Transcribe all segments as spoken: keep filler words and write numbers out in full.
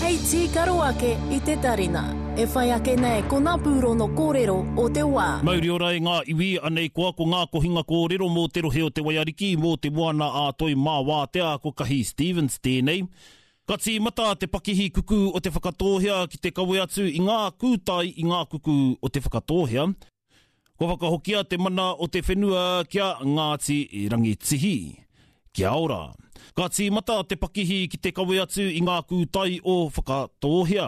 Hei tīkaro ake i te tarina. E whai ake nei ko ngā pūrono kōrero o te wā. Mauri ora e ngā iwi, anei koa ko ngā kohinga kōrero mō te rohe o te Waiariki, mō te moana a Toi mā wātea ko Kahi Stevens tēnei. Ka tīmata te pakihi kuku o Te Whakatōhea ki te kawe atu i ngā kūtai i ngā kuku o Te Whakatōhea. Kua whakahokia te mana o te whenua ki a Ngāti Rangitihi. Kia ora. Ka tīmata te pakihi ki te kawe atu i ngā kūtai o Whakatōhea.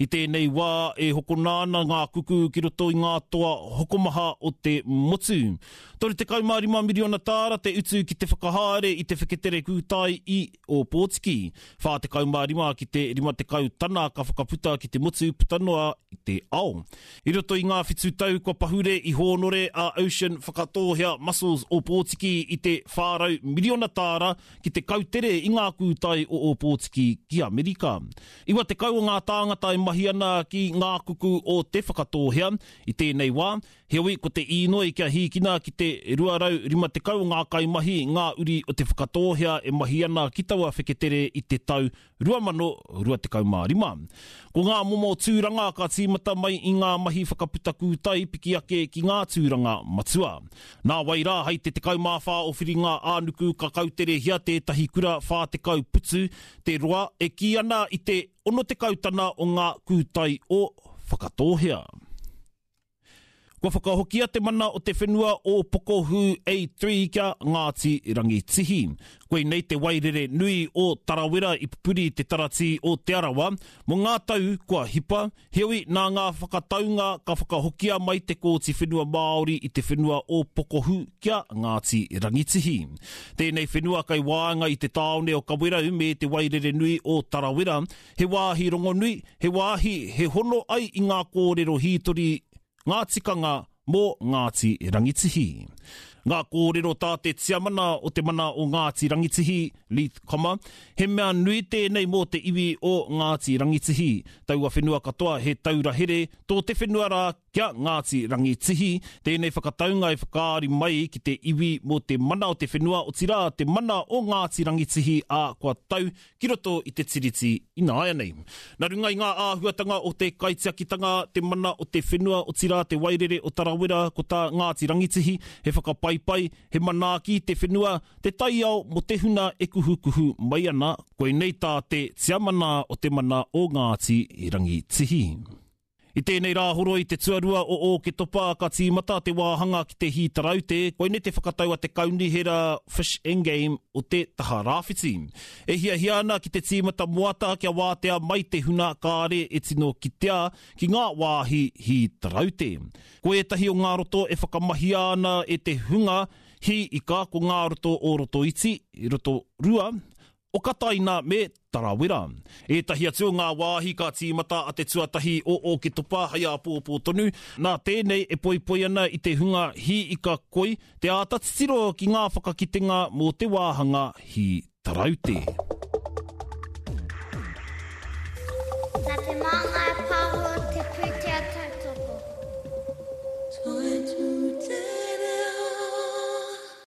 I tēnei wā e hokona ana ngā kuku ki roto i ngā toa hokomaha o te motu. toru tekau mā rima miriona tāra te utu ki te whakahaere i te wheketere kūtai i Ōpōtiki. Whā tekau mā rima ki te rima tekau tana ka whakaputa ki te motu puta noa i te ao. I roto i ngā whitu tau kua pahure i hōnore a Ocean Whakatōhea Mussels Ōpōtiki i te whā rau miriona tāra ki te kautere i ngā kūtai o Ōpōtiki ki Amerika. Iwa tekau o ngā tāngata e mahi ana ki ngā kuku o Te Whakatōhea i tēnei wā, heoi ko te īnoi kia hīkina ki te rua rau rima tekau o ngā kaimahi ngā uri o Te Whakatōhea e mahi ana ki taua wheketere i te tau rua mano rua tekau mā rima. Ko ngā momo tūranga ka tīmata mai i ngā mahi whakaputa kūtai piki ake ki ngā tūranga matua. Nā wai rā hei te tekau mā whā o Whiringa ā-nuku ka kauterehia tētahi kura whā tekau putu te roa e kī ana i te ono tekau tana o ngā kūtai o Whakatōhea. Kua whakahokia te mana o te whenua o Pokohū A three kia Ngāti Rangitihi. Koinei te wairere nui o Tarawera i pupuri te taratī o Te Arawa mō ngā tau kua hipa, heoi nā ngā whakataunga ka whakahokia mai te Kōti Whenua Māori i te whenua o Pokohū kia Ngāti Rangitihi. Tēnei whenua kai waenga i te tāone o Kawerau me te wairere nui o Tarawera, he wāhi rongonui, he wāhi he hono ai i ngā kōrero hītori, ngā tikanga mō Ngāti Rangitihi. Ngā kōrero tā te tiamana o te mana o Ngāti Rangitihi, Leith Comma, he mea nui tēnei mō te iwi o Ngāti Rangitihi. Taua whenua katoa he taura here tō te whenua rā kia Ngāti Rangitihi. Tēnei whakataunga e whakaari mai ki te iwi mō te mana o te whenua, otirā te mana o Ngāti Rangitihi ā kua tau ki roto i te tiriti ināianei. Nā runga i ngā āhuatanga o te kaitiakitanga, te mana o te whenua, otirā te wairere o Tarawera, ko tā Ngāti Rangitihi, he whakapaipai, he manaaki te whenua, te taiao mō te huna e kuhukuhu mai ana, koinei tā te tiamana o te mana o Ngāti Rangitihi. I tēnei rāhoroi te tuarua o Ōketopa ka tīmata te wāhanga ki te hī taraute, koinei te whakatau a te kaunihera Fish and Game o te taha rāwhiti. E hiahia ana ki te tīmata moata kia wātea mai te huna kāre e tino kitea ki ngā wāhi hī taraute. Ko ētahi o ngā roto e whakamahia ana e te hunga hī ika ko ngā roto o Rotoiti, Rotorua, o Kataina me Tarawera. Ētahi atu o ngā wāhi ka tīmata a te tuatahi o Ōketopa hei āpōpō tonu, nā tēnei e poipoi ana i te hunga hī ika koi te āta titiro ki ngā whakakitenga mō te wāhanga hī taraute. Nā te Māngai